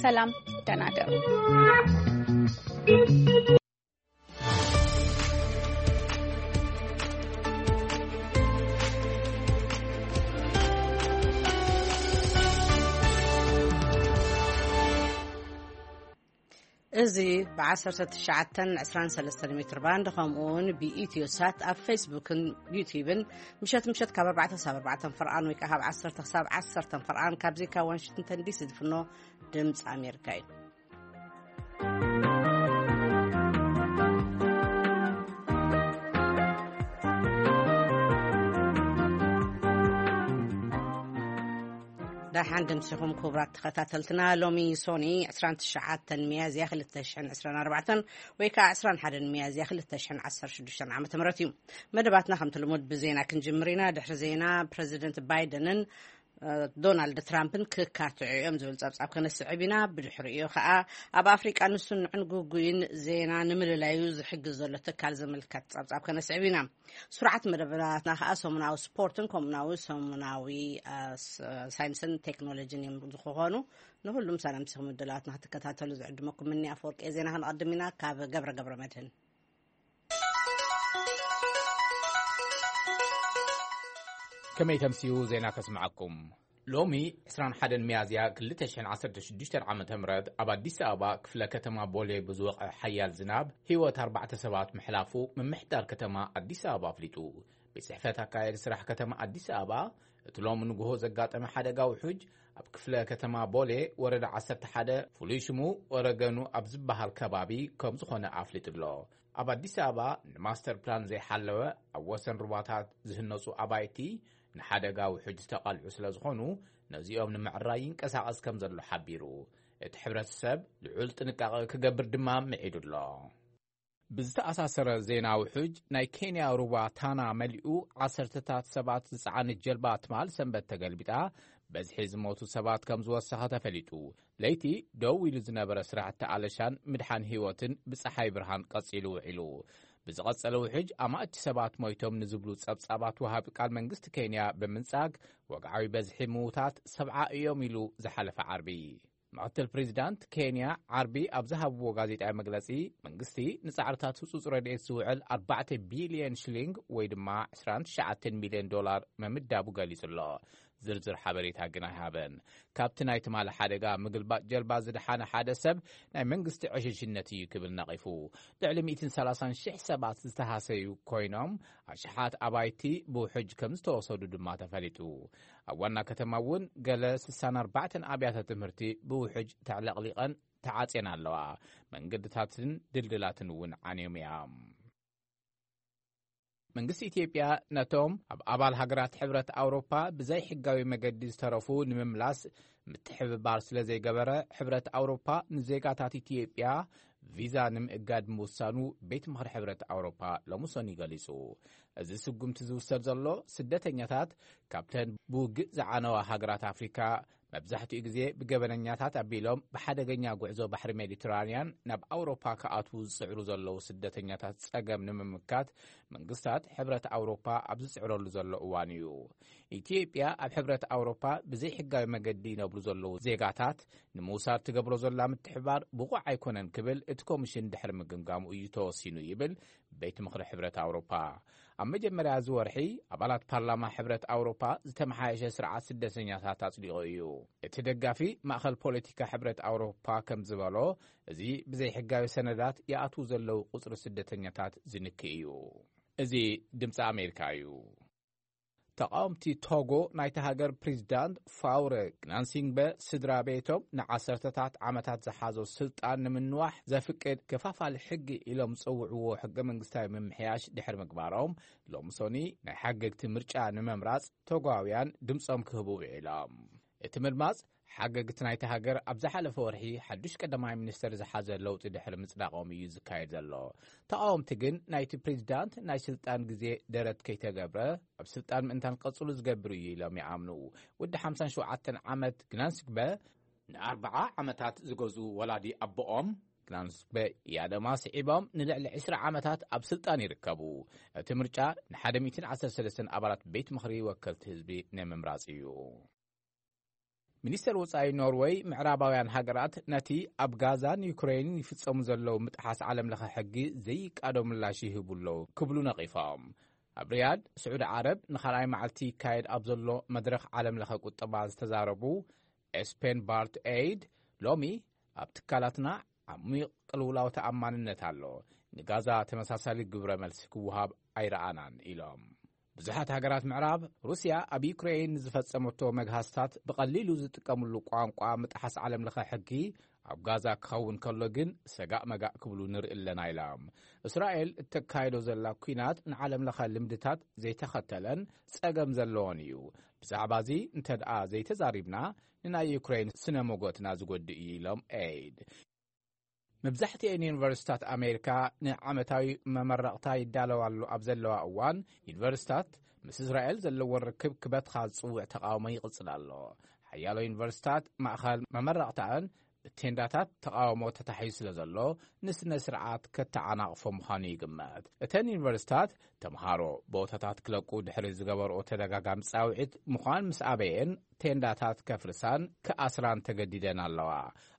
ሰላም፣ ደህና እደሩ። እዚ ብ19 23 ሜትር ባንድ፣ ከምኡ እውን ብኢትዮ ሳት ኣብ ፌስቡክን ዩቲዩብን፣ ምሸት ምሸት ካብ ኣርባዕተ ክሳብ ኣርባዕተ ፍርቓን ወይ ከዓ ካብ ዓሰርተ ክሳብ ዓሰርተ ፍርቓን፣ ካብዚ ካብ ዋሽንግተን ዲሲ ዝፍኖ ድምፂ ኣሜሪካ እዩ። ደሓን ደምሲኹም ክቡራት ተኸታተልትና። ሎሚ ሶኒ 29 ሚያዝያ 2024 ወይ ከዓ 21 ሚያዝያ 2016 ዓ.ም እዩ። መደባትና ከምቲ ልሙድ ብዜና ክንጅምር ኢና። ድሕሪ ዜና ፕረዚደንት ባይደንን ዶናልድ ትራምፕን ክካትዑ እዮም ዝብል ጸብጻብ ከነስዕብ ኢና። ብድሕሪኡ ከኣ ኣብ ኣፍሪቃ ንስኑዕን ግጉይን ዜና ንምልላዩ ዝሕግዝ ዘሎ ትካል ዝምልከት ጸብጻብ ከነስዕብ ኢና። ስሩዓት መደባትና ከኣ ሰሙናዊ ስፖርትን ከምኡናዊ ሰሙናዊ ሳይንስን ቴክኖሎጂን እዮም ዝኮኑ። ንሁሉም ሰላምሲኹም ምድላዋትና ክትከታተሉ ዝዕድመኩም ምኒ ኣፈወርቂ ዜና ክንቐድም ኢና። ካብ ገብረ ገብረ መድህን ከመይ ተምስዩ ዜና ከስምዓኩም። ሎሚ 21 ሚያዝያ 2016 ዓ.ም ኣብ ኣዲስ ኣበባ ክፍለ ከተማ ቦሌ ብዝወቐ ሓያል ዝናብ ህይወት ኣርባዕተ ሰባት ምሕላፉ ምምሕዳር ከተማ ኣዲስ ኣበባ ኣፍሊጡ። ቤት ጽሕፈት ኣካየዲ ስራሕ ከተማ ኣዲስ ኣበባ እቲ ሎም ንግሆ ዘጋጠመ ሓደጋ ውሑጅ ኣብ ክፍለ ከተማ ቦሌ ወረዳ 11 ፍሉይ ሽሙ ወረገኑ ኣብ ዝበሃል ከባቢ ከም ዝኾነ ኣፍሊጡ ኣሎ። ኣብ ኣዲስ ኣበባ ንማስተር ፕላን ዘይሓለወ ኣብ ወሰን ሩባታት ዝህነፁ ኣባይቲ ንሓደጋ ውሑጅ ዝተቓልዑ ስለ ዝኾኑ ነዚኦም ንምዕራይ ይንቀሳቐስ ከም ዘሎ ሓቢሩ። እቲ ሕብረተሰብ ልዑል ጥንቃቐ ክገብር ድማ ምዒዱ ኣሎ። ብዝተኣሳሰረ ዜና ውሑጅ ናይ ኬንያ ሩባ ታና መሊኡ ዓሰርተታት ሰባት ዝጸዓነት ጀልባ ትማል ሰንበት ተገልቢጣ በዝሒ ዝሞቱ ሰባት ከም ዝወሰኸ ተፈሊጡ። ለይቲ ደው ኢሉ ዝነበረ ስራሕቲ ኣለሻን ምድሓን ህይወትን ብጸሓይ ብርሃን ቀጺሉ ውዒሉ። ብዝቐጸለ ውሕጅ ኣማእቲ ሰባት ሞይቶም ንዝብሉ ጸብጻባት ወሃቢ ቃል መንግስቲ ኬንያ ብምንጻግ ወግዓዊ በዝሒ ምዉታት ሰብዓ እዮም ኢሉ ዝሓለፈ ዓርቢ። ምክትል ፕሬዚዳንት ኬንያ ዓርቢ ኣብ ዝሃብዎ ጋዜጣዊ መግለጺ መንግስቲ ንጻዕርታት ህጹጽ ረድኤት ዝውዕል ኣርባዕተ ቢልዮን ሽሊንግ ወይ ድማ 29 ሚልዮን ዶላር መምዳቡ ገሊጹ ኣሎ። ዝርዝር ሓበሬታ ግን ኣይሃበን። ካብቲ ናይ ትማሊ ሓደጋ ምግልባጥ ጀልባ ዝደሓነ ሓደ ሰብ ናይ መንግስቲ ዕሽሽነት እዩ ክብል ነቒፉ። ልዕሊ 130,000 ሰባት ዝተሃሰዩ ኮይኖም ኣሽሓት ኣባይቲ ብውሕጅ ከም ዝተወሰዱ ድማ ተፈሊጡ። ኣብ ዋና ከተማ እውን ገለ 64 ኣብያተ ትምህርቲ ብውሕጅ ተዕለቕሊቐን ተዓጽየን ኣለዋ። መንገድታትን ድልድላትን እውን ዓንዮም እዮም። መንግስቲ ኢትዮጵያ ነቶም ኣብ ኣባል ሃገራት ሕብረት ኣውሮፓ ብዘይሕጋዊ መገዲ ዝተረፉ ንምምላስ ምትሕብባር ስለ ዘይገበረ ሕብረት ኣውሮፓ ንዜጋታት ኢትዮጵያ ቪዛ ንምእጋድ ምውሳኑ ቤት ምኽሪ ሕብረት ኣውሮፓ ሎሚ ሰኑይ ገሊጹ። እዚ ስጉምቲ ዝውሰድ ዘሎ ስደተኛታት ካብተን ብውግእ ዝዓነዋ ሃገራት ኣፍሪካ መብዛሕትኡ ግዜ ብገበነኛታት ኣቢሎም ብሓደገኛ ጉዕዞ ባሕሪ ሜዲትራንያን ናብ ኣውሮፓ ክኣትዉ ዝጽዕሩ ዘለዉ ስደተኛታት ጸገም ንምምካት መንግስታት ሕብረት ኣውሮፓ ኣብ ዝጽዕረሉ ዘሎ እዋን እዩ። ኢትዮጵያ ኣብ ሕብረት ኣውሮፓ ብዘይሕጋዊ መገዲ ይነብሩ ዘለዉ ዜጋታት ንምውሳድ ትገብሮ ዘላ ምትሕባር ብቑዕ ኣይኮነን ክብል እቲ ኮሚሽን ድሕሪ ምግምጋሙ እዩ ተወሲኑ ይብል ቤት ምኽሪ ሕብረት ኣውሮፓ። ኣብ መጀመርያ እዚ ወርሒ ኣባላት ፓርላማ ሕብረት ኣውሮፓ ዝተመሓየሸ ስርዓት ስደተኛታት ኣጽዲቑ እዩ። እቲ ደጋፊ ማእኸል ፖለቲካ ሕብረት ኣውሮፓ ከም ዝበሎ፣ እዚ ብዘይሕጋዊ ሰነዳት ይኣትዉ ዘለዉ ቁጽሪ ስደተኛታት ዝንክእ እዩ። እዚ ድምፂ ኣሜሪካ እዩ። ተቃወምቲ ቶጎ ናይቲ ሃገር ፕሬዚዳንት ፋውረ ግናንሲንግበ ስድራ ቤቶም ንዓሰርተታት ዓመታት ዝሓዞ ስልጣን ንምንዋሕ ዘፍቅድ ከፋፋሊ ሕጊ ኢሎም ዝጸውዕዎ ሕገ መንግስታዊ ምምሕያሽ ድሕሪ ምግባሮም ሎምሶኒ ናይ ሓገግቲ ምርጫ ንምምራጽ ቶጓውያን ድምጾም ክህቡ ውዒሎም። እቲ ምድማጽ ሓገግቲ ናይቲ ሃገር ኣብ ዝሓለፈ ወርሒ ሓዱሽ ቀዳማይ ሚኒስተር ዝሓዘ ለውጢ ድሕሪ ምጽዳቖም እዩ ዝካየድ ዘሎ። ተቓወምቲ ግን ናይቲ ፕሬዚዳንት ናይ ስልጣን ግዜ ደረት ከይተገብረ ኣብ ስልጣን ምእንታን ክቐጽሉ ዝገብር እዩ ኢሎም ይኣምኑ። ወዲ ሓምሳን ሸውዓተን ዓመት ግናንስግበ ንኣርብዓ ዓመታት ዝገዙ ወላዲ ኣቦኦም ግናንስግበ ያደማ ስዒቦም ንልዕሊ ዕስራ ዓመታት ኣብ ስልጣን ይርከቡ። እቲ ምርጫ ን113 ኣባላት ቤት ምኽሪ ወከልቲ ህዝቢ ናይ ምምራጽ እዩ። ሚኒስተር ወጻኢ ኖርወይ፣ ምዕራባውያን ሃገራት ነቲ ኣብ ጋዛን ዩክሬንን ይፍጸሙ ዘለዉ ምጥሓስ ዓለም ለኸ ሕጊ ዘይቃዶ ምላሽ ይህቡ ኣለዉ ክብሉ ነቒፎም። ኣብ ሪያድ፣ ስዑዲ ዓረብ፣ ንኻልኣይ መዓልቲ ይካየድ ኣብ ዘሎ መድረኽ ዓለም ለኸ ቁጠባ ዝተዛረቡ ኤስፔን ባርት ኤይድ፣ ሎሚ ኣብ ትካላትና ዓሚቕ ቅልውላው ተኣማንነት ኣሎ። ንጋዛ ተመሳሳሊ ግብረ መልሲ ክወሃብ ኣይረኣናን ኢሎም። ብዙሓት ሃገራት ምዕራብ፣ ሩስያ ኣብ ዩክሬን ንዝፈጸመቶ መግሃስታት ብቐሊሉ ዝጥቀምሉ ቋንቋ ምጥሓስ ዓለም ለኸ ሕጊ ኣብ ጋዛ ክኸውን ከሎ ግን ሰጋእ መጋእ ክብሉ ንርኢ ኣለና ኢሎም። እስራኤል እተካይዶ ዘላ ኲናት ንዓለም ለኸ ልምድታት ዘይተኸተለን ጸገም ዘለዎን እዩ። ብዛዕባ እዚ እንተ ደኣ ዘይተዛሪብና ንናይ ዩክሬን ስነ ሞጎትና ዝጎድእ እዩ ኢሎም ኤይድ። መብዛሕትኤን ዩኒቨርሲታት ኣሜሪካ ንዓመታዊ መመረቕታ ይዳለዋሉ ኣብ ዘለዋ እዋን፣ ዩኒቨርሲታት ምስ እስራኤል ዘለወን ርክብ ክበትኻ ዝጽውዕ ተቓውሞ ይቕጽል ኣሎ። ሓያሎ ዩኒቨርሲታት ማእኸል መመረቕታን ብቴንዳታት ተቓውሞ ተታሒዙ ስለ ዘሎ፣ ንስነ ስርዓት ከተዓናቕፎ ምዃኑ ይግመት። እተን ዩኒቨርሲታት ተምሃሮ ቦታታት ክለቁ ድሕሪ ዝገበርኦ ተደጋጋሚ ጻውዒት ምዃን ምስ ኣበየን፣ ቴንዳታት ከፍርሳን ክኣስራን ተገዲደን ኣለዋ።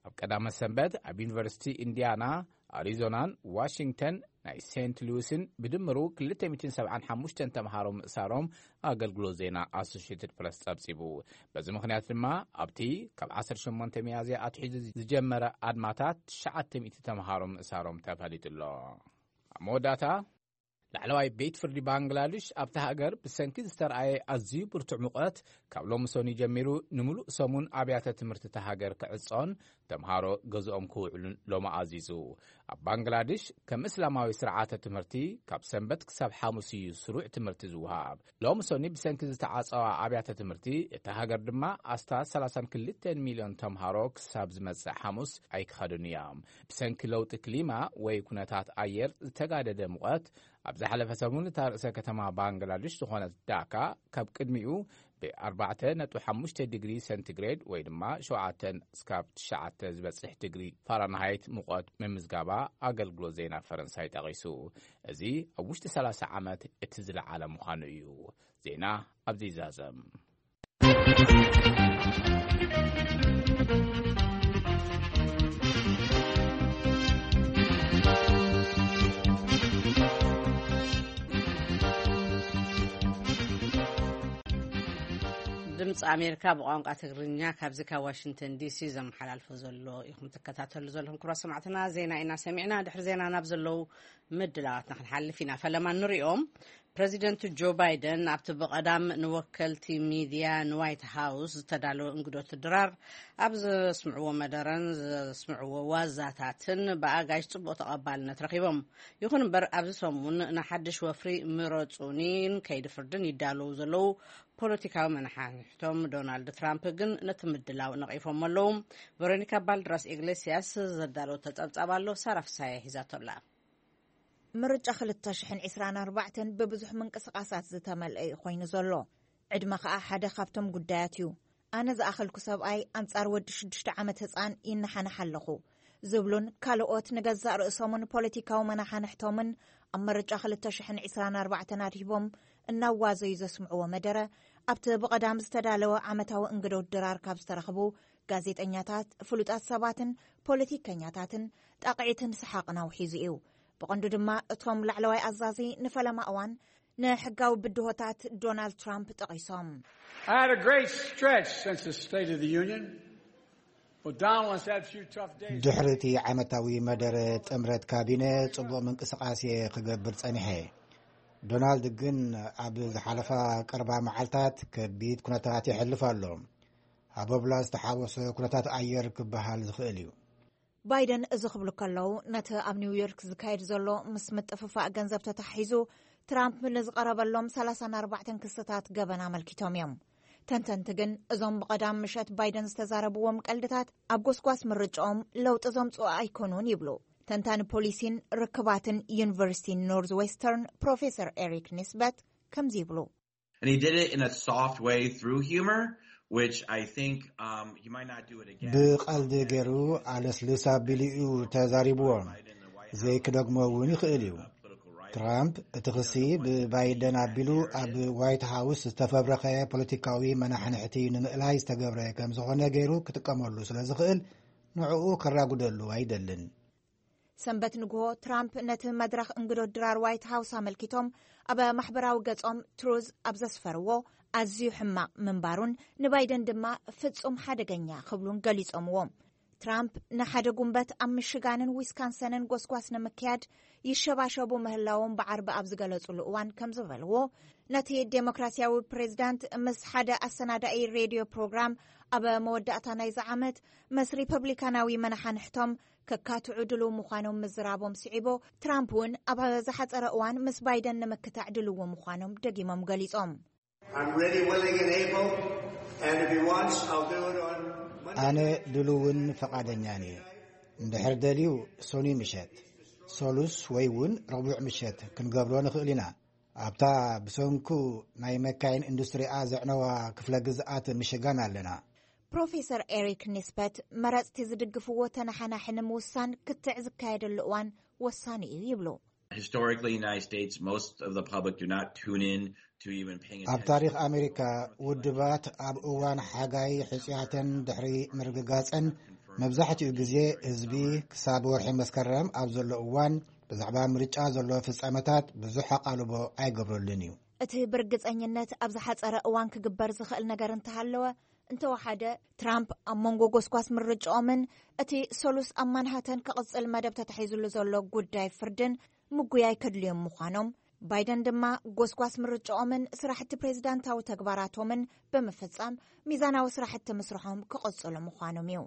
ኣብ ቀዳመ ሰንበት ኣብ ዩኒቨርሲቲ ኢንዲያና፣ ኣሪዞናን ዋሽንግተን ናይ ሴንት ሉዊስን ብድምሩ ክልተ ሚእትን ሰብዓን ሓሙሽተን ተምሃሮ ምእሳሮም ኣገልግሎት ዜና ኣሶሽየትድ ፕረስ ጸብጺቡ። በዚ ምኽንያት ድማ ኣብቲ ካብ ዓሰርተ ሸሞንተ ሚያዝያ ኣትሒዙ ዝጀመረ ኣድማታት ትሽዓተ ሚእቲ ተምሃሮ ምእሳሮም ተፈሊጡ ኣሎ። ኣብ መወዳእታ፣ ላዕለዋይ ቤት ፍርዲ ባንግላድሽ ኣብታ ሃገር ብሰንኪ ዝተረኣየ ኣዝዩ ብርቱዕ ሙቐት ካብ ሎሚ ሰኑይ ጀሚሩ ንምሉእ ሰሙን ኣብያተ ትምህርቲ እታ ሃገር ክዕጾን ተምሃሮ ገዝኦም ክውዕሉን ሎሚ ኣዚዙ። ኣብ ባንግላድሽ ከም እስላማዊ ስርዓተ ትምህርቲ ካብ ሰንበት ክሳብ ሓሙስ እዩ ስሩዕ ትምህርቲ ዝወሃብ። ሎሚ ሰኑይ ብሰንኪ ዝተዓጸዋ ኣብያተ ትምህርቲ እታ ሃገር ድማ ኣስታት ሰላሳን ክልተን ሚልዮን ተምሃሮ ክሳብ ዝመጽእ ሓሙስ ኣይክኸዱን እዮም። ብሰንኪ ለውጢ ክሊማ ወይ ኩነታት ኣየር ዝተጋደደ ሙቐት ኣብ ዝሓለፈ ሰሙን እታ ርእሰ ከተማ ባንግላድሽ ዝኾነት ዳካ ካብ ቅድሚኡ ብ ኣርባዕተ ነጥቢ ሓሙሽተ ዲግሪ ሰንቲግሬድ ወይ ድማ ሸውዓተ ስካብ ትሽዓተ ዝበጽሕ ዲግሪ ፋራንሃይት ሙቐት ምምዝጋባ ኣገልግሎት ዜና ፈረንሳይ ጠቒሱ። እዚ ኣብ ውሽጢ ሰላሳ ዓመት እቲ ዝለዓለ ምዃኑ እዩ። ዜና ኣብዚ ይዛዘም። ድምፂ ኣሜሪካ ብቋንቋ ትግርኛ ካብዚ ካብ ዋሽንግተን ዲሲ ዘመሓላልፎ ዘሎ ኢኹም ትከታተሉ ዘለኹም። ክቡራት ሰማዕትና፣ ዜና ኢና ሰሚዕና። ድሕሪ ዜና ናብ ዘለዉ ምድላዋትና ክንሓልፍ ኢና። ፈለማ ንሪኦም። ፕረዚደንት ጆ ባይደን ኣብቲ ብቐዳም ንወከልቲ ሚድያ ንዋይት ሃውስ ዝተዳለወ እንግዶት ድራር ኣብ ዘስምዕዎ መደረን ዘስምዕዎ ዋዛታትን ብኣጋይሽ ጽቡቕ ተቐባልነት ረኺቦም። ይኹን እምበር፣ ኣብዚ ሰሙን ንሓድሽ ወፍሪ ምረጹኒን ከይዲ ፍርድን ይዳለዉ ዘለዉ ፖለቲካዊ መናሓንሕቶም ዶናልድ ትራምፕ ግን ነቲ ምድላው ነቒፎም ኣለዉ። ቨሮኒካ ባልድራስ ኢግሌሲያስ ዘዳለወቶ ጸብጻብ ኣሎ፣ ሳራ ፍሳየ ሒዛቶ ኣላ። ምርጫ ክልተ ሽሕን ዕስራን ኣርባዕተን ብብዙሕ ምንቅስቓሳት ዝተመልአ እዩ ኮይኑ ዘሎ። ዕድመ ከኣ ሓደ ካብቶም ጉዳያት እዩ። ኣነ ዝኣኸልኩ ሰብኣይ ኣንጻር ወዲ ሽዱሽተ ዓመት ህጻን ይነሓንሕ ኣለኹ ዝብሉን ካልኦት ንገዛእ ርእሶምን ፖለቲካዊ መናሓንሕቶምን ኣብ ምርጫ ክልተ ሽሕን ዕስራን ኣርባዕተን ኣድሂቦም እናዋዘዩ ዘስምዕዎ መደረ፣ ኣብቲ ብቐዳም ዝተዳለወ ዓመታዊ እንግዶት ድራር ካብ ዝተረኽቡ ጋዜጠኛታት፣ ፍሉጣት ሰባትን ፖለቲከኛታትን ጣቕዒትን ሰሓቕን ኣውሒዙ እዩ። ብቐንዱ ድማ እቶም ላዕለዋይ ኣዛዚ ንፈለማ እዋን ንሕጋዊ ብድሆታት ዶናልድ ትራምፕ ጠቒሶም። I had a great stretch since the State of the Union, but Donald has had a few tough days. ድሕሪ እቲ ዓመታዊ መደረ ጥምረት ካቢነ ጽቡቕ ምንቅስቓስ እየ ክገብር ጸኒሐ። ዶናልድ ግን ኣብ ዝሓለፋ ቀርባ መዓልታት ከቢድ ኩነታት የሕልፍ ኣሎ። ሃቦብላ ዝተሓወሰ ኩነታት ኣየር ክበሃል ዝኽእል እዩ። ባይደን እዚ ክብሉ ከለዉ፣ ነቲ ኣብ ኒውዮርክ ዝካየድ ዘሎ ምስ ምጥፍፋእ ገንዘብ ተታሒዙ ትራምፕ ንዝቐረበሎም ሰላሳን ኣርባዕተን ክስታት ገበን ኣመልኪቶም እዮም። ተንተንቲ ግን፣ እዞም ብቐዳም ምሸት ባይደን ዝተዛረብዎም ቀልድታት ኣብ ጎስጓስ ምርጫኦም ለውጢ ዘምጽኡ ኣይኮኑን ይብሉ። ተንታኒ ፖሊሲን ርክባትን ዩኒቨርሲቲ ኖርዝ ዌስተርን ፕሮፌሰር ኤሪክ ኒስበት ከምዚ ይብሉ። And he did it in a soft way through humor, which I think, um, he might not do it again. ብቐልዲ ገይሩ ኣለስልስ ኣቢሉ እዩ ተዛሪብዎ። ዘይክደግሞ እውን ይኽእል እዩ። ትራምፕ እቲ ክሲ ብባይደን ኣቢሉ ኣብ ዋይት ሃውስ ዝተፈብረኸ ፖለቲካዊ መናሕንሕቲ ንምእላይ ዝተገብረ ከም ዝኾነ ገይሩ ክጥቀመሉ ስለ ዝኽእል፣ ንዕኡ ከራጉደሉ ኣይደልን። ሰንበት ንግሆ ትራምፕ ነቲ መድረኽ እንግዶ ድራር ዋይት ሃውስ ኣመልኪቶም ኣብ ማሕበራዊ ገጾም ትሩዝ ኣብ ዘስፈርዎ፣ ኣዝዩ ሕማቕ ምንባሩን ንባይደን ድማ ፍጹም ሓደገኛ ክብሉን ገሊጾምዎ። ትራምፕ ንሓደ ጉንበት ኣብ ሚሽጋንን ዊስካንሰንን ጎስጓስ ንምክያድ ይሸባሸቡ ምህላዎም ብዓርቢ ኣብ ዝገለጹሉ እዋን ከም ዝበልዎ፣ ነቲ ዴሞክራሲያዊ ፕሬዝዳንት ምስ ሓደ ኣሰናዳኢ ሬድዮ ፕሮግራም ኣብ መወዳእታ ናይዚ ዓመት ምስ ሪፐብሊካናዊ መናሓንሕቶም ከካትዑ ድልው ምዃኖም ምዝራቦም ስዒቦ፣ ትራምፕ እውን ኣብ ዝሓጸረ እዋን ምስ ባይደን ንምክታዕ ድልዎ ምዃኖም ደጊሞም ገሊጾም። I'm ready, willing, and able, and if he wants, I'll do it on Monday. ኣነ ድልውን ፈቓደኛን እየ። እንድሕር ደልዩ፣ ሶኒ ምሸት፣ ሶሉስ ወይ እውን ረቡዕ ምሸት ክንገብሮ ንኽእል ኢና። ኣብታ ብሰንኩ ናይ መካይን ኢንዱስትሪኣ ዘዕነዋ ክፍለ ግዝኣት ምሽጋን ኣለና። ፕሮፌሰር ኤሪክ ኒስበት መረጽቲ ዝድግፍዎ ተነሓናሒ ንምውሳን ክትዕ ዝካየደሉ እዋን ወሳኒ እዩ ይብሉ። Historically, in the United States, most of the public do not tune in to even paying ኣብ attention. ታሪኽ ኣሜሪካ፣ ውድባት ኣብ እዋን ሓጋይ ሕጽያተን ድሕሪ ምርግጋጸን፣ መብዛሕትኡ ግዜ ህዝቢ ክሳብ ወርሒ መስከረም ኣብ ዘሎ እዋን ብዛዕባ ምርጫ ዘሎ ፍጻመታት ብዙሕ ኣቓልቦ ኣይገብረሉን እዩ። እቲ ብርግጸኝነት ኣብ ዝሓጸረ እዋን ክግበር ዝኽእል ነገር እንተሃለወ፣ እንተወሓደ ትራምፕ ኣብ መንጎ ጎስጓስ ምርጫኦምን እቲ ሰሉስ ኣብ ማንሃተን ክቕጽል መደብ ተታሒዙሉ ዘሎ ጉዳይ ፍርድን ምጉያይ ከድልዮም ምዃኖም፣ ባይደን ድማ ጎስጓስ ምርጫኦምን ስራሕቲ ፕሬዝዳንታዊ ተግባራቶምን ብምፍጻም ሚዛናዊ ስራሕቲ ምስርሖም ክቕጽሉ ምዃኖም እዩ።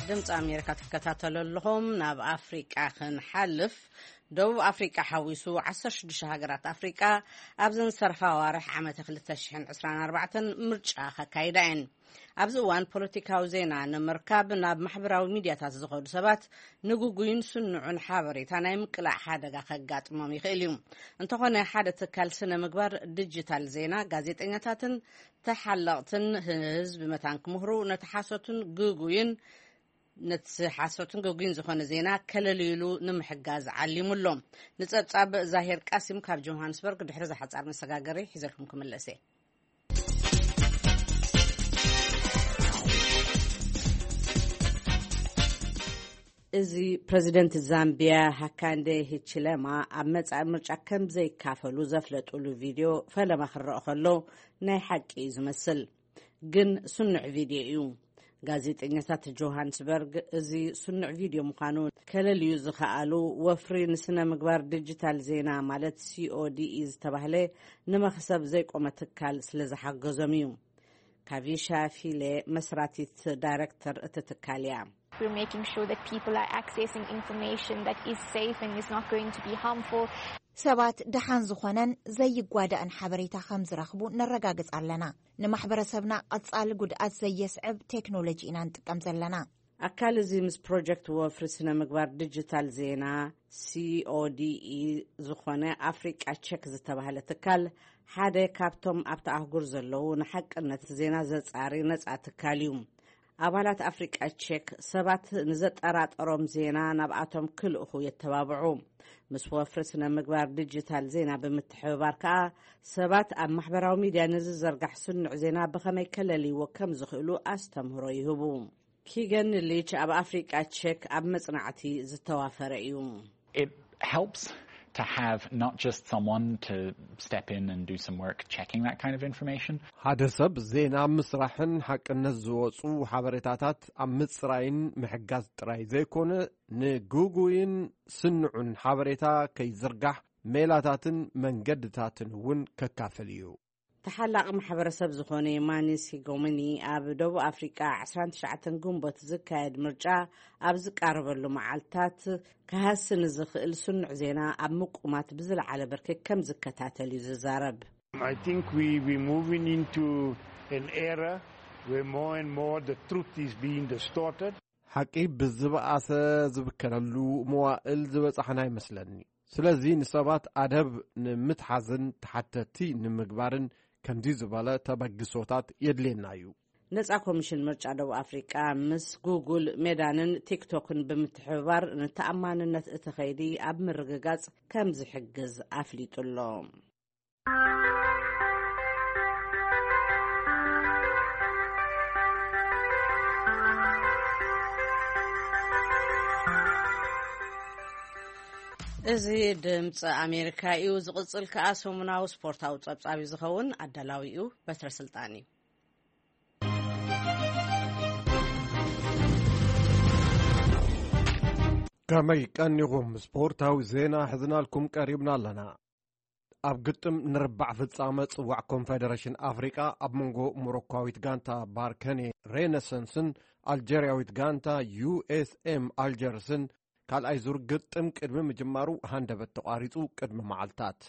ድምፂ ኣሜሪካ ትከታተሉ ኣለኹም። ናብ ኣፍሪቃ ክንሓልፍ፣ ደቡብ ኣፍሪቃ ሓዊሱ ዓሰርተ ሽዱሽተ ሃገራት ኣፍሪቃ ኣብዘን ዝተረፋ ኣዋርሕ ዓመተ ክልተ ሽሕን ዕስራን ኣርባዕተን ምርጫ ከካይዳ እየን። ኣብዚ እዋን ፖለቲካዊ ዜና ንምርካብ ናብ ማሕበራዊ ሚድያታት ዝኸዱ ሰባት ንግጉይን ስኑዕን ሓበሬታ ናይ ምቅላዕ ሓደጋ ከጋጥሞም ይኽእል እዩ። እንተኾነ ሓደ ትካል ስነ ምግባር ዲጂታል ዜና ጋዜጠኛታትን ተሓለቕትን ህዝቢ መታን ክምህሩ ነቲ ሓሶትን ግጉይን ነቲ ሓሶትን ግጉይን ዝኾነ ዜና ከለልዩሉ ንምሕጋዝ ዓሊሙ ኣሎ። ንጸብጻብ ዛሄር ቃሲም ካብ ጆሃንስበርግ ድሕሪ ዝሓጻር መሰጋገሪ ሒዘልኩም ክምለስ እየ። እዚ ፕረዚደንት ዛምቢያ ሃካንደ ሂችለማ ኣብ መጻኢ ምርጫ ከም ዘይካፈሉ ዘፍለጡሉ ቪድዮ ፈለማ ክረአ ከሎ ናይ ሓቂ እዩ ዝመስል። ግን ስኑዕ ቪድዮ እዩ። ጋዜጠኛታት ጆሃንስበርግ እዚ ስኑዕ ቪድዮ ምዃኑ ከለልዩ ዝኸኣሉ ወፍሪ ንስነ ምግባር ዲጂታል ዜና ማለት ሲኦዲኢ ዝተባህለ ንመኽሰብ ዘይቆመ ትካል ስለ ዝሓገዞም እዩ። ካቪሻ ፊሌ መስራቲት ዳይረክተር እቲ ትካል እያ። We're making sure that people are accessing information that is safe and is not going to be harmful. ሰባት ደሓን ዝኾነን ዘይጓዳእን ሓበሬታ ከም ዝረኽቡ ነረጋግጽ ኣለና። ንማሕበረሰብና ቀጻሊ ጉድኣት ዘየስዕብ ቴክኖሎጂ ኢና ንጥቀም ዘለና። ኣካል እዚ ምስ ፕሮጀክት ወፍሪ ስነ ምግባር ዲጂታል ዜና ሲኦዲኢ ዝኾነ ኣፍሪቃ ቸክ ዝተባህለ ትካል ሓደ ካብቶም ኣብቲ ኣህጉር ዘለዉ ንሓቅነት ዜና ዘጻሪ ነጻ ትካል እዩ። ኣባላት ኣፍሪቃ ቸክ ሰባት ንዘጠራጠሮም ዜና ናብኣቶም ክልእኹ የተባብዑ። ምስ ወፍሪ ስነ ምግባር ዲጂታል ዜና ብምትሕብባር ከኣ ሰባት ኣብ ማሕበራዊ ሚድያ ንዝዘርጋሕ ስኑዕ ዜና ብኸመይ ከለልይዎ ከም ዝኽእሉ ኣስተምህሮ ይህቡ። ኪገን ሊች ኣብ ኣፍሪቃ ቸክ ኣብ መጽናዕቲ ዝተዋፈረ እዩ። It helps to have not just someone to step in and do some work checking that kind of information. ሓደ ሰብ ዜና ምስራሕን ሓቅነት ዝወጹ ሓበሬታታት ኣብ ምጽራይን ምሕጋዝ ጥራይ ዘይኮነ፣ ንግጉይን ስኑዕን ሓበሬታ ከይዝርጋሕ ሜላታትን መንገድታትን እውን ከካፍል እዩ። ተሓላቒ ማሕበረሰብ ዝኾነ ማኒ ሲጎሚኒ ኣብ ደቡብ ኣፍሪቃ ዕስራን ትሽዓተን ግንቦት ዝካየድ ምርጫ ኣብ ዝቃረበሉ መዓልታት ክሃሲ ንዝኽእል ስኑዕ ዜና ኣብ ምቁማት ብዝለዓለ ብርኪ ከም ዝከታተል እዩ ዝዛረብ። I think we, we're moving into an era where more and more the truth is being distorted. ሓቂ ብዝበኣሰ ዝብከለሉ መዋእል ዝበጻሕና ይመስለኒ። ስለዚ ንሰባት ኣደብ ንምትሓዝን ተሓተቲ ንምግባርን ከምዚ ዝበለ ተበግሶታት የድልየና እዩ። ነጻ ኮሚሽን ምርጫ ደቡብ ኣፍሪቃ ምስ ጉጉል፣ ሜዳንን ቲክቶክን ብምትሕብባር ንተኣማንነት እቲ ኸይዲ ኣብ ምርግጋጽ ከም ዝሕግዝ ኣፍሊጡ ኣሎ። እዚ ድምፂ ኣሜሪካ እዩ። ዝቕፅል ከኣ ሰሙናዊ ስፖርታዊ ጸብጻብ እዩ ዝኸውን። ኣዳላዊኡ በትረ ስልጣን እዩ። ከመይ ቀኒኹም? ስፖርታዊ ዜና ሕዝናልኩም ቀሪብና ኣለና። ኣብ ግጥም ንርባዕ ፍጻመ ጽዋዕ ኮንፌደሬሽን ኣፍሪቃ ኣብ መንጎ ሞሮኳዊት ጋንታ ባርከኔ ሬነሰንስን ኣልጀርያዊት ጋንታ ዩ ኤስ ኤም ኣልጀርስን ካልኣይ ዙር ግጥም ቅድሚ ምጅማሩ ሃንደበት ተቋሪጹ ቅድሚ መዓልታት።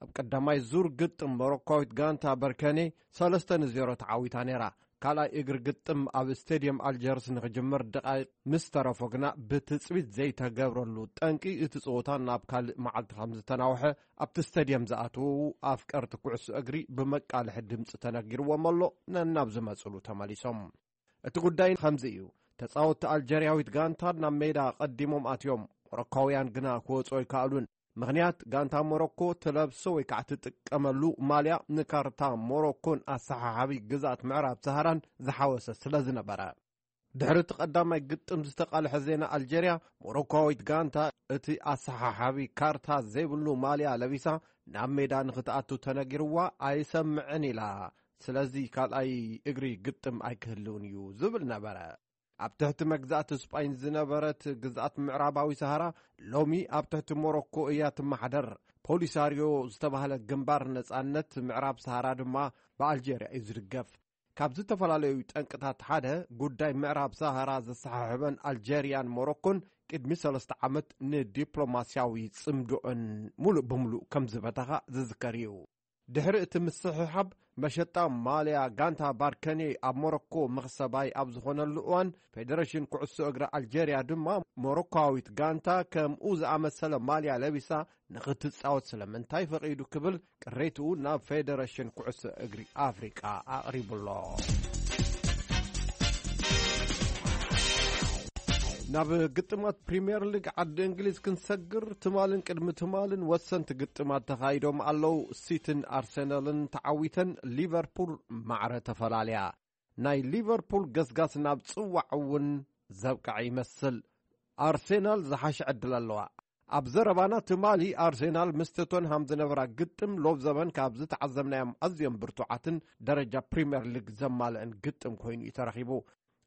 ኣብ ቀዳማይ ዙር ግጥም ሞሮኳዊት ጋንታ በርከኔ ሰለስተ ንዜሮ ተዓዊታ ነይራ። ካልኣይ እግሪ ግጥም ኣብ ስቴድየም ኣልጀርስ ንኽጅምር ደቓይቕ ምስ ተረፎ ግና ብትጽቢት ዘይተገብረሉ ጠንቂ እቲ ጸወታ ናብ ካልእ መዓልቲ ከም ዝተናውሐ ኣብቲ ስቴድየም ዝኣተዉ ኣፍቀርቲ ኩዕሶ እግሪ ብመቃልሒ ድምጺ ተነጊርዎም ኣሎ ነናብ ዝመጽሉ ተመሊሶም። እቲ ጉዳይ ከምዚ እዩ። ተጻወትቲ ኣልጀርያዊት ጋንታ ናብ ሜዳ ቀዲሞም ኣትዮም። ሞሮኳውያን ግና ክወጹ ኣይከኣሉን። ምኽንያት ጋንታ ሞሮኮ ትለብሶ ወይ ከዓ ትጥቀመሉ ማልያ ንካርታ ሞሮኮን ኣሰሓሓቢ ግዝኣት ምዕራብ ሰሃራን ዝሓወሰ ስለ ዝነበረ። ድሕሪ እቲ ቀዳማይ ግጥም ዝተቓልሐ ዜና ኣልጀርያ፣ ሞሮኮዊት ጋንታ እቲ ኣሰሓሓቢ ካርታ ዘይብሉ ማልያ ለቢሳ ናብ ሜዳ ንኽትኣቱ ተነጊርዋ ኣይሰምዕን ኢላ። ስለዚ ካልኣይ እግሪ ግጥም ኣይክህልውን እዩ ዝብል ነበረ። ኣብ ትሕቲ መግዛእቲ ስጳይን ዝነበረት ግዝኣት ምዕራባዊ ሰሃራ ሎሚ ኣብ ትሕቲ ሞሮኮ እያ ትመሓደር። ፖሊሳርዮ ዝተባህለ ግንባር ነጻነት ምዕራብ ሰሃራ ድማ ብኣልጀርያ እዩ ዝድገፍ። ካብ ዝተፈላለዩ ጠንቅታት ሓደ ጉዳይ ምዕራብ ሰሃራ ዘሰሓሕበን ኣልጀርያን ሞሮኮን ቅድሚ ሰለስተ ዓመት ንዲፕሎማስያዊ ጽምዶኦን ሙሉእ ብምሉእ ከም ዝበተኻ ዝዝከር እዩ። ድሕሪ እቲ ምስሕሓብ መሸጣ ማልያ ጋንታ ባርከኔ ኣብ ሞሮኮ መኽሰባይ ኣብ ዝኾነሉ እዋን ፌደሬሽን ኩዕሶ እግሪ ኣልጀርያ ድማ ሞሮኮዊት ጋንታ ከምኡ ዝኣመሰለ ማልያ ለቢሳ ንኽትጻወት ስለምንታይ ፈቒዱ ክብል ቅሬትኡ ናብ ፌደሬሽን ኩዕሶ እግሪ ኣፍሪቃ ኣቕሪቡ ኣሎ። ናብ ግጥማት ፕሪምየር ሊግ ዓዲ እንግሊዝ ክንሰግር ትማልን ቅድሚ ትማልን ወሰንቲ ግጥማት ተኻይዶም ኣለዉ። ሲቲን ኣርሰናልን ተዓዊተን ሊቨርፑል ማዕረ ተፈላልያ። ናይ ሊቨርፑል ገስጋስ ናብ ጽዋዕ እውን ዘብቅዐ ይመስል። ኣርሴናል ዝሓሸ ዕድል ኣለዋ። ኣብ ዘረባና ትማሊ ኣርሴናል ምስ ቶተንሃም ዝነበራ ግጥም ሎብ ዘበን ካብ ዝተዓዘብናዮም ኣዝዮም ብርቱዓትን ደረጃ ፕሪምየር ሊግ ዘማልአን ግጥም ኮይኑ እዩ ተረኺቡ።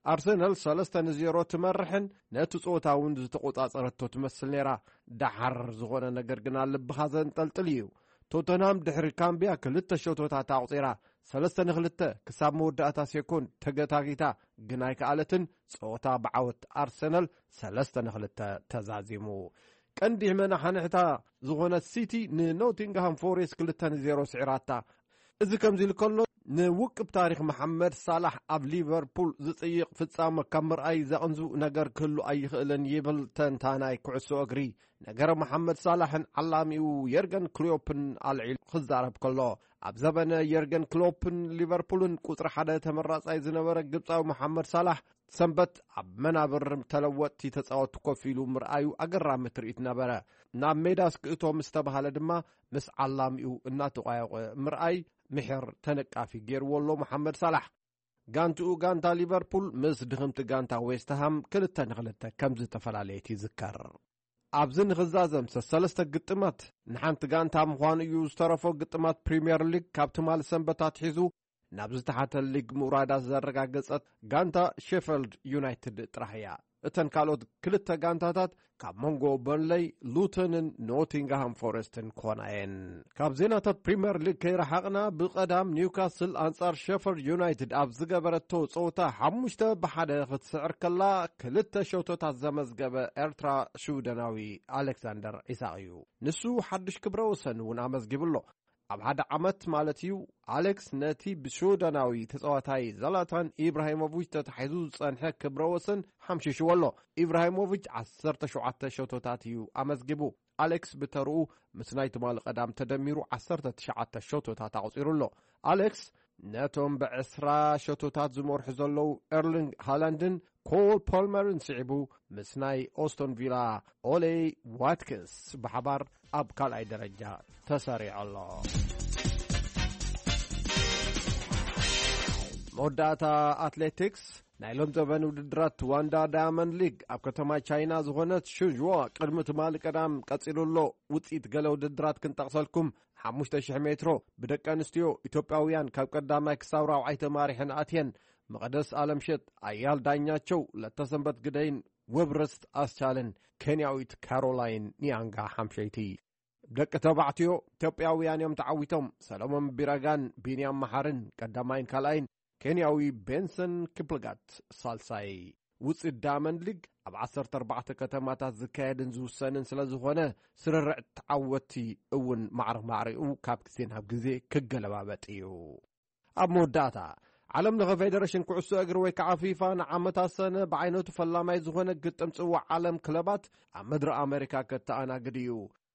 ኣርሰናል ሰለስተ ንዜሮ ትመርሕን ነቲ ጸወታ እውን ዝተቆጻጸረቶ ትመስል ነይራ። ደሓር ዝኾነ ነገር ግና ልብኻ ዘንጠልጥል እዩ። ቶተንሃም ድሕሪ ካምቢያ ክልተ ሸቶታት ኣቑጺራ ሰለስተ ንክልተ ክሳብ መወዳእታ ሴኮንድ ተገታጊታ ግን ኣይከኣለትን። ጸወታ ብዓወት ኣርሰናል ሰለስተ ንክልተ ተዛዚሙ። ቀንዲ መናሓንሕታ ዝኾነት ሲቲ ንኖቲንግሃም ፎሬስት ክልተ ንዜሮ ስዒራታ። እዚ ከምዚ ኢሉ ከሎ፣ ንውቅብ ታሪኽ መሓመድ ሳላሕ ኣብ ሊቨርፑል ዝጽይቕ ፍጻመ ካብ ምርኣይ ዘቕንዙ ነገር ክህሉ ኣይኽእልን ይብል ተንታናይ ኩዕሶ እግሪ። ነገረ መሓመድ ሳላሕን ዓላሚኡ የርገን ክሎፕን ኣልዒሉ ክዛረብ ከሎ፣ ኣብ ዘበነ የርገን ክሎፕን ሊቨርፑልን ቁጽሪ ሓደ ተመራጻይ ዝነበረ ግብጻዊ መሓመድ ሳላሕ ሰንበት ኣብ መናብር ተለወጥቲ ተጻወትቲ ኮፍ ኢሉ ምርኣዩ ኣገራሚ ትርኢት ነበረ። ናብ ሜዳ እስክእቶ ምስ ተባሃለ ድማ ምስ ዓላሚኡ እናተቋየቆ ምርኣይ ምሕር ተነቃፊ ገይርዎ ኣሎ መሓመድ ሳላሕ። ጋንትኡ ጋንታ ሊቨርፑል ምስ ድኽምቲ ጋንታ ዌስትሃም ክልተ ንክልተ ከም ዝተፈላለየት ይዝከር። ኣብዚ ንኽዛዘም ሰለስተ ግጥማት ንሓንቲ ጋንታ ምዃኑ እዩ ዝተረፎ። ግጥማት ፕሪምየር ሊግ ካብ ትማሊ ሰንበት ኣትሒዙ ናብ ዝተሓተ ሊግ ምውራዳ ዘረጋገጸት ጋንታ ሼፈልድ ዩናይትድ ጥራሕ እያ። እተን ካልኦት ክልተ ጋንታታት ካብ መንጎ በርንለይ፣ ሉተንን ኖቲንግሃም ፎረስትን ክኾና እየን። ካብ ዜናታት ፕሪምየር ሊግ ከይረሓቕና፣ ብቐዳም ኒውካስል ኣንጻር ሸፈርድ ዩናይትድ ኣብ ዝገበረቶ ጸወታ ሓሙሽተ ብሓደ ክትስዕር ከላ፣ ክልተ ሸቶታት ዘመዝገበ ኤርትራ ሽውደናዊ ኣሌክሳንደር ኢሳቕ እዩ። ንሱ ሓድሽ ክብረ ወሰን እውን ኣመዝጊቡ ኣሎ። ኣብ ሓደ ዓመት ማለት እዩ፣ ኣሌክስ ነቲ ብሽወደናዊ ተጻዋታይ ዘላታን ኢብራሂሞቪች ተታሒዙ ዝጸንሐ ክብረ ወሰን ሓምሺሽዎ ኣሎ። ኢብራሂሞቪች ዓሰርተ ሸውዓተ ሸቶታት እዩ ኣመዝጊቡ። ኣሌክስ ብተርኡ ምስ ናይ ትማሊ ቀዳም ተደሚሩ ዓሰርተ ትሽዓተ ሸቶታት ኣቑጺሩ ኣሎ። ኣሌክስ ነቶም ብዕስራ ሸቶታት ዝመርሑ ዘለዉ ኤርሊንግ ሃላንድን ኮል ፖልመርን ስዒቡ፣ ምስ ናይ ኦስቶን ቪላ ኦሌ ዋትኪንስ ብሓባር ኣብ ካልኣይ ደረጃ ተሰሪዑ ኣሎ። መወዳእታ ኣትሌቲክስ፣ ናይ ሎም ዘበን ውድድራት ዋንዳ ዳያመንድ ሊግ ኣብ ከተማ ቻይና ዝኾነት ሹንዥዋ ቅድሚ ትማሊ ቀዳም ቀጺሉ ኣሎ። ውጽኢት ገለ ውድድራት ክንጠቕሰልኩም፣ ሓሙሽተ ሽሕ ሜትሮ ብደቂ ኣንስትዮ ኢትዮጵያውያን ካብ ቀዳማይ ክሳብ ራብዓይ ተማሪሐን ኣትየን። መቐደስ ኣለምሸት፣ ኣያል ዳኛቸው፣ ለተሰንበት ግደይን ውብርስት ኣስቻልን ኬንያዊት ካሮላይን ኒያንጋ ሓምሸይቲ። ደቂ ተባዕትዮ ኢትዮጵያውያን እዮም ተዓዊቶም። ሰሎሞን ቢረጋን ቢንያም መሓርን ቀዳማይን ካልኣይን፣ ኬንያዊ ቤንሰን ኪፕልጋት ሳልሳይ። ውፅኢት ዳያመንድ ሊግ ኣብ ዓሰርተ ኣርባዕተ ከተማታት ዝካየድን ዝውሰንን ስለ ዝኾነ፣ ስርርዕ ተዓወትቲ እውን ማዕረ ማዕሪኡ ካብ ግዜ ናብ ግዜ ክገለባበጥ እዩ። ኣብ መወዳእታ፣ ዓለም ለኸ ፌደሬሽን ኩዕሶ እግሪ ወይ ከዓ ፊፋ ንዓመታት ሰነ ብዓይነቱ ፈላማይ ዝኾነ ግጥም ጽዋዕ ዓለም ክለባት ኣብ ምድሪ ኣሜሪካ ከተኣናግድ እዩ።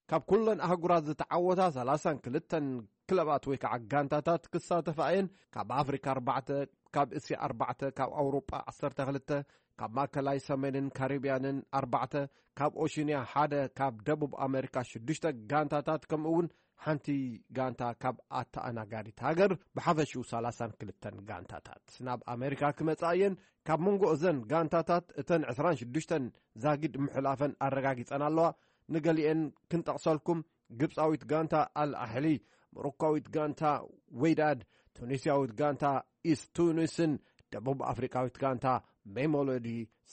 ካብ ኩለን ኣህጉራት ዝተዓወታ ሰላሳን ክልተን ክለባት ወይ ከዓ ጋንታታት ክሳተፋ እየን። ካብ ኣፍሪካ ኣርባዕተ፣ ካብ እስያ ኣርባዕተ፣ ካብ ኣውሮጳ ዓሰርተ ክልተ፣ ካብ ማእከላይ ሰሜንን ካሪብያንን ኣርባዕተ፣ ካብ ኦሽንያ ሓደ፣ ካብ ደቡብ ኣሜሪካ ሽዱሽተ ጋንታታት፣ ከምኡ እውን ሓንቲ ጋንታ ካብ ኣተኣናጋዲት ሃገር፣ ብሓፈሽኡ ሰላሳን ክልተን ጋንታታት ናብ ኣሜሪካ ክመጻ እየን። ካብ መንጎ እዘን ጋንታታት እተን ዕስራን ሽዱሽተን ዛጊድ ምሕላፈን ኣረጋጊጸን ኣለዋ። ንገሊኤን ክንጠቕሰልኩም፣ ግብጻዊት ጋንታ ኣል ኣሕሊ፣ ሞሮካዊት ጋንታ ወይዳድ፣ ቱኒስያዊት ጋንታ ኢስት ቱኒስን ደቡብ ኣፍሪቃዊት ጋንታ ሜሞሎዲ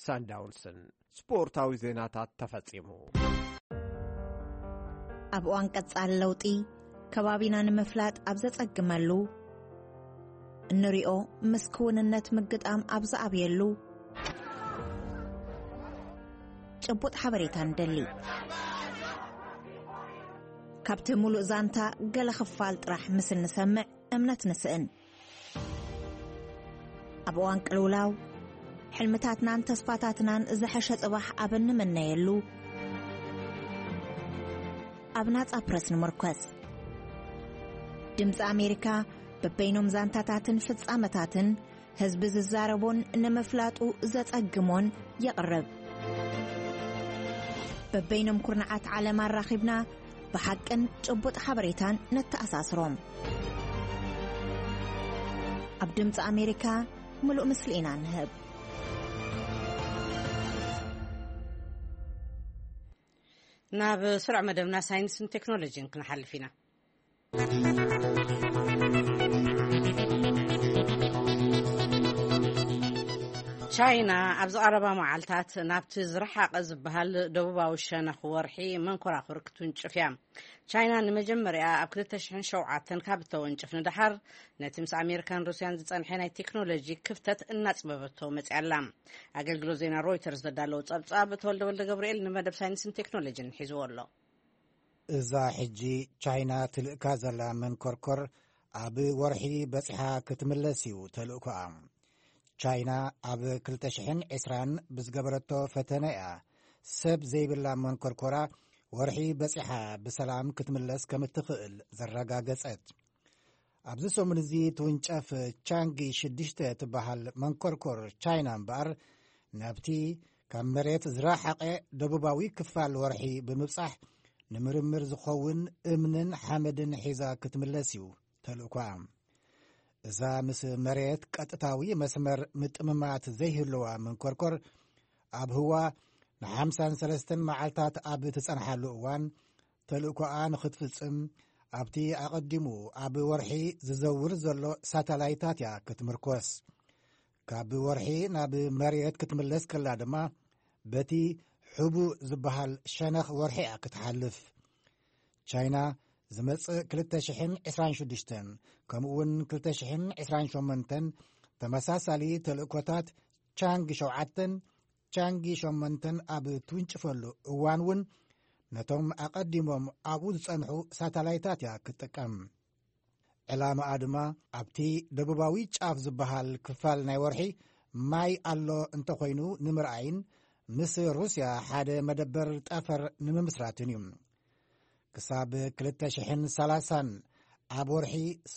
ሳንዳውንስን። ስፖርታዊ ዜናታት ተፈጺሙ። ኣብ እዋን ቀጻሊ ለውጢ፣ ከባቢና ንምፍላጥ ኣብ ዘጸግመሉ፣ እንሪኦ ምስ ክውንነት ምግጣም ኣብ ዝኣብየሉ፣ ጭቡጥ ሓበሬታ ንደሊ። ካብቲ ሙሉእ ዛንታ ገለ ክፋል ጥራሕ ምስ እንሰምዕ እምነት ንስእን። ኣብ እዋን ቅልውላው፣ ሕልምታትናን ተስፋታትናን ዝሐሸ ጽባሕ ኣብ እንምነየሉ፣ ኣብ ናጻ ፕረስ ንምርኮስ። ድምጺ ኣሜሪካ በበይኖም ዛንታታትን ፍጻመታትን ህዝቢ ዝዛረቦን ንምፍላጡ ዘጸግሞን የቕርብ። በበይኖም ኩርናዓት ዓለም ኣራኺብና ብሓቅን ጭቡጥ ሓበሬታን ነተኣሳስሮም። ኣብ ድምጺ ኣሜሪካ ምሉእ ምስሊ ኢና ንህብ። ናብ ስሩዕ መደብና ሳይንስን ቴክኖሎጂን ክንሓልፍ ኢና። ቻይና ኣብ ዝቐረባ መዓልታት ናብቲ ዝረሓቐ ዝበሃል ደቡባዊ ሸነኽ ወርሒ መንኮራኹር ክትውንጭፍ እያ። ቻይና ንመጀመርያ ኣብ ክልተ ሽሕን ሸውዓተን ካብ እተወንጭፍ ንደሓር፣ ነቲ ምስ ኣሜሪካን ሩስያን ዝጸንሐ ናይ ቴክኖሎጂ ክፍተት እናጽበበቶ መጽያ ኣላ። ኣገልግሎት ዜና ሮይተርስ ዘዳለዎ ጸብጻብ ተወልደ ወልደ ገብርኤል ንመደብ ሳይንስን ቴክኖሎጂን ሒዝዎ ኣሎ። እዛ ሕጂ ቻይና ትልእካ ዘላ መንኮርኮር ኣብ ወርሒ በጺሓ ክትምለስ እዩ ተልእኮኣ። ቻይና ኣብ ክልተ ሽሕን ዕስራን ብዝገበረቶ ፈተነ እያ ሰብ ዘይብላ መንኮርኮራ ወርሒ በጺሓ ብሰላም ክትምለስ ከም እትኽእል ዘረጋገጸት። ኣብዚ ሰሙን እዚ ትውንጨፍ ቻንጊ ሽዱሽተ ትበሃል መንኮርኮር ቻይና እምበኣር፣ ናብቲ ካብ መሬት ዝረሓቐ ደቡባዊ ክፋል ወርሒ ብምብጻሕ፣ ንምርምር ዝኸውን እምንን ሓመድን ሒዛ ክትምለስ እዩ ተልእኮኣ። እዛ ምስ መሬት ቀጥታዊ መስመር ምጥምማት ዘይህልዋ መንኮርኮር፣ ኣብ ህዋ ንሓምሳን ሰለስተን መዓልታት ኣብ ትጸንሓሉ እዋን፣ ተልእኮኣ ንኽትፍጽም ኣብቲ ኣቐዲሙ ኣብ ወርሒ ዝዘውር ዘሎ ሳተላይታት እያ ክትምርኮስ። ካብ ወርሒ ናብ መሬት ክትምለስ ከላ ድማ፣ በቲ ሕቡእ ዝበሃል ሸነኽ ወርሒ እያ ክትሓልፍ። ቻይና ዝመጽእ ክልተ ሽሕን ዕስራን ሽዱሽተን፣ ከምኡ'ውን ክልተ ሽሕን ዕስራን ሸሞንተን ተመሳሳሊ ተልእኮታት ቻንግ ሸውዓተን፣ ቻንጊ ሸሞንተን ኣብ ትውንጭፈሉ እዋን እውን፣ ነቶም ኣቐዲሞም ኣብኡ ዝጸንሑ ሳተላይታት እያ ክትጥቀም። ዕላማኣ ድማ፣ ኣብቲ ደቡባዊ ጫፍ ዝበሃል ክፋል ናይ ወርሒ ማይ ኣሎ እንተኾይኑ ንምርኣይን ምስ ሩስያ ሓደ መደበር ጠፈር ንምምስራትን እዩ። ክሳብ ክልተ ሽሕን ሰላሳን ኣብ ወርሒ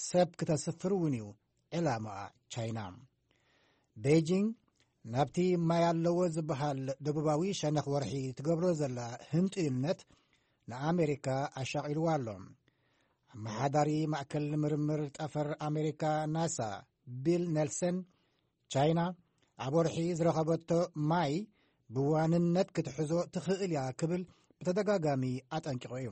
ሰብ ክተስፍር እውን እዩ ዕላማኣ ቻይና። ቤጂንግ ናብቲ ማይ ኣለዎ ዝበሃል ደቡባዊ ሸነኽ ወርሒ ትገብሮ ዘላ ህንጥዩነት ንኣሜሪካ ኣሻቒልዋ ኣሎ። ኣመሓዳሪ ማእከል ምርምር ጠፈር ኣሜሪካ ናሳ ቢል ኔልሰን፣ ቻይና ኣብ ወርሒ ዝረኸበቶ ማይ ብዋንነት ክትሕዞ ትኽእል እያ ክብል ብተደጋጋሚ ኣጠንቂቑ እዩ።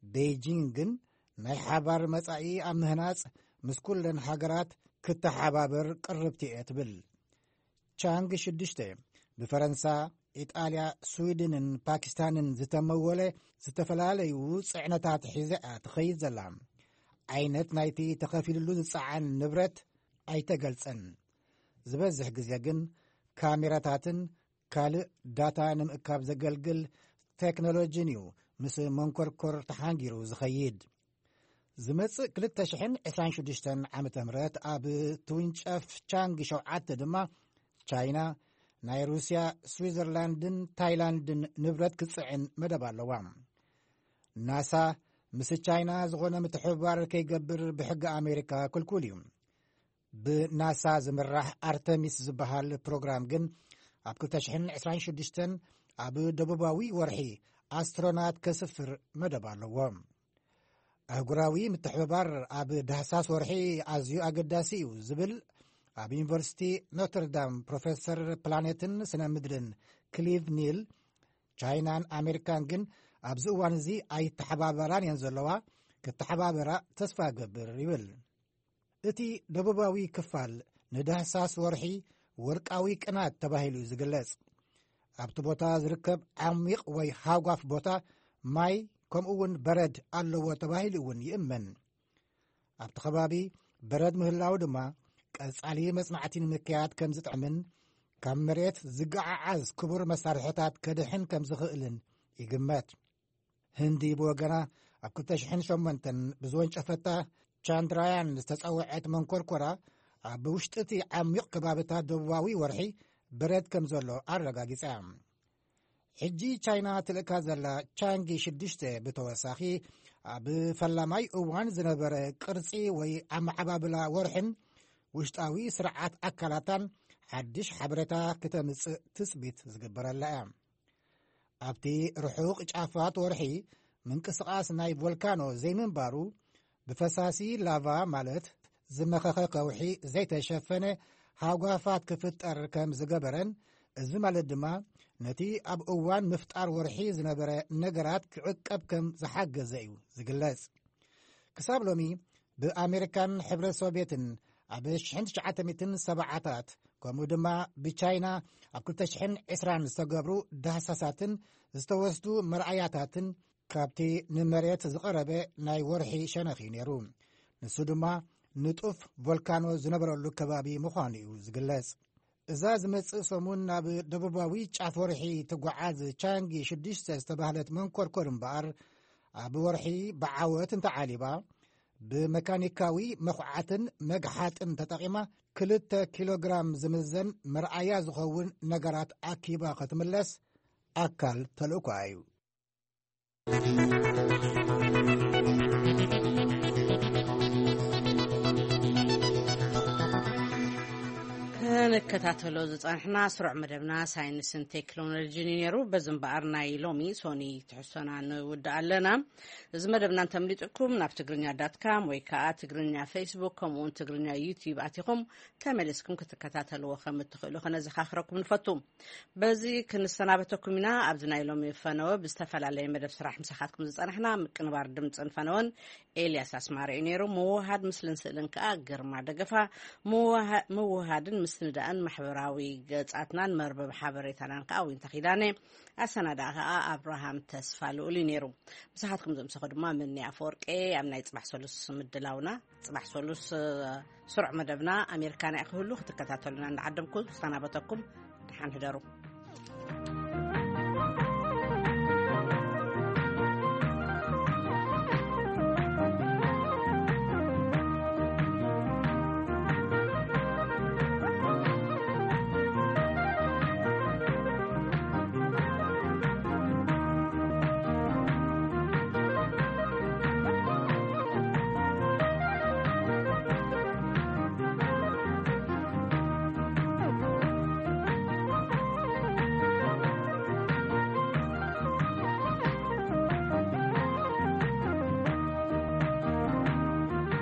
ቤጂንግ ግን ናይ ሓባር መጻኢ ኣብ ምህናጽ ምስ ኩለን ሃገራት ክተሓባበር ቅርብቲ እየ ትብል። ቻንግ ሽዱሽተ ብፈረንሳ፣ ኢጣልያ፣ ስዊድንን ፓኪስታንን ዝተመወለ ዝተፈላለዩ ጽዕነታት ሒዘ እያ ትኸይድ ዘላ። ዓይነት ናይቲ ተኸፊልሉ ዝጸዓን ንብረት ኣይተገልጸን። ዝበዝሕ ግዜ ግን ካሜራታትን ካልእ ዳታ ንምእካብ ዘገልግል ቴክኖሎጂን እዩ ምስ መንኮርኮር ተሓንጊሩ ዝኸይድ። ዝመጽእ ክልተ ሽሕን ዕስራን ሽዱሽተን ዓመተ ምህረት ኣብ ትውንጨፍ ቻንግ ሸውዓተ ድማ ቻይና ናይ ሩስያ፣ ስዊዘርላንድን ታይላንድን ንብረት ክጽዕን መደብ ኣለዋ። ናሳ ምስ ቻይና ዝኾነ ምትሕብባር ከይገብር ብሕጊ ኣሜሪካ ክልኩል እዩ። ብናሳ ዝምራሕ ኣርተሚስ ዝበሃል ፕሮግራም ግን ኣብ ክልተ ሽሕን ዕስራን ሽዱሽተን ኣብ ደቡባዊ ወርሒ ኣስትሮናት ከስፍር መደብ ኣለዎ። ኣህጉራዊ ምትሕብባር ኣብ ዳህሳስ ወርሒ ኣዝዩ ኣገዳሲ እዩ ዝብል ኣብ ዩኒቨርሲቲ ኖትርዳም ፕሮፌሰር ፕላኔትን ስነ ምድርን ክሊቭ ኒል፣ ቻይናን ኣሜሪካን ግን ኣብዚ እዋን እዚ ኣይተሓባበራን እየን ዘለዋ፣ ክተሓባበራ ተስፋ እገብር ይብል። እቲ ደቡባዊ ክፋል ንዳህሳስ ወርሒ ወርቃዊ ቅናት ተባሂሉ እዩ ዝግለጽ። ኣብቲ ቦታ ዝርከብ ዓሚቕ ወይ ሃጓፍ ቦታ ማይ ከምኡ እውን በረድ ኣለዎ ተባሂሉ እውን ይእመን። ኣብቲ ከባቢ በረድ ምህላው ድማ ቀጻሊ መጽናዕቲ ንምክያድ ከም ዝጥዕምን ካብ መሬት ዝገዓዓዝ ክቡር መሳርሕታት ከድሕን ከም ዝኽእልን ይግመት። ህንዲ ብወገና ኣብ ክልተ ሽሕን ሸሞንተን ብዝወንጨፈታ ቻንድራያን ዝተጸውዐት መንኮርኮራ ኣብ ውሽጢ እቲ ዓሚቕ ከባብታት ደቡባዊ ወርሒ በረድ ከም ዘሎ ኣረጋጊጻ። ሕጂ ቻይና ትልእካ ዘላ ቻንጊ ሽዱሽተ ብተወሳኺ ኣብ ፈላማይ እዋን ዝነበረ ቅርጺ ወይ ኣመዓባብላ ወርሕን ውሽጣዊ ስርዓት ኣካላታን ሓድሽ ሓበሬታ ክተምጽእ ትጽቢት ዝግበረላ እያ። ኣብቲ ርሑቕ ጫፋት ወርሒ ምንቅስቓስ ናይ ቮልካኖ ዘይምንባሩ ብፈሳሲ ላቫ ማለት ዝመኸኸ ከውሒ ዘይተሸፈነ ሃጓፋት ክፍጠር ከም ዝገበረን፣ እዚ ማለት ድማ ነቲ ኣብ እዋን ምፍጣር ወርሒ ዝነበረ ነገራት ክዕቀብ ከም ዝሓገዘ እዩ ዝግለጽ። ክሳብ ሎሚ ብኣሜሪካን ሕብረት ሶቪየትን ኣብ ሽሕን ትሽዓተ ሚእትን ሰብዓታት ከምኡ ድማ ብቻይና ኣብ ክልተ ሽሕን ዕስራን ዝተገብሩ ዳህሳሳትን ዝተወስዱ መርኣያታትን ካብቲ ንመሬት ዝቐረበ ናይ ወርሒ ሸነኽ እዩ ነይሩ። ንሱ ድማ ንጡፍ ቮልካኖ ዝነበረሉ ከባቢ ምዃኑ እዩ ዝግለጽ። እዛ ዝመጽእ ሰሙን ናብ ደቡባዊ ጫፍ ወርሒ ትጓዓዝ ቻንጊ ሽዱሽተ ዝተባህለት መንኮርኮር እምበኣር፣ ኣብ ወርሒ ብዓወት እንተዓሊባ፣ ብመካኒካዊ መኹዓትን መግሓጥን ተጠቒማ ክልተ ኪሎግራም ዝምዘን መርኣያ ዝኸውን ነገራት ኣኪባ ክትምለስ ኣካል ተልእኮኣ እዩ። ክንከታተሎ ዝጸንሕና ስሩዕ መደብና ሳይንስን ቴክኖሎጂን እዩ ነይሩ። በዚ እምበኣር ናይ ሎሚ ሶኒ ትሕዝቶና ንውድእ ኣለና። እዚ መደብና እንተምሊጥኩም ናብ ትግርኛ ዳት ካም ወይ ከዓ ትግርኛ ፌስቡክ ከምኡውን ትግርኛ ዩቲዩብ ኣቲኹም ተመሊስኩም ክትከታተልዎ ከም እትኽእሉ ከነዘኻኽረኩም ንፈቱ። በዚ ክንሰናበተኩም ኢና። ኣብዚ ናይ ሎሚ ፈነወ ብዝተፈላለየ መደብ ስራሕ ምሳኻትኩም ዝጸናሕና ምቅንባር ድምፅን ፈነወን ኤልያስ ኣስማረ እዩ ነይሩ። ምውሃድ ምስልን ስእልን ከኣ ግርማ ደገፋ። ምውሃድን ምስንዳእን ማሕበራዊ ገጻትናን መርበብ ሓበሬታናን ከኣ ዊንታ ኪዳነ። ኣሰናዳእ ከኣ ኣብርሃም ተስፋ ልኡል እዩ ነይሩ። ምሳኻትኩም ዘምሰኹ ድማ ምኒ ኣፈወርቄ። ኣብ ናይ ጽባሕ ሰሉስ ምድላውና፣ ጽባሕ ሰሉስ ስሩዕ መደብና ኣሜሪካና እዩ ክህሉ። ክትከታተሉና እንዳዓደምኩ ዝሰናበተኩም፣ ደሓን ህደሩ።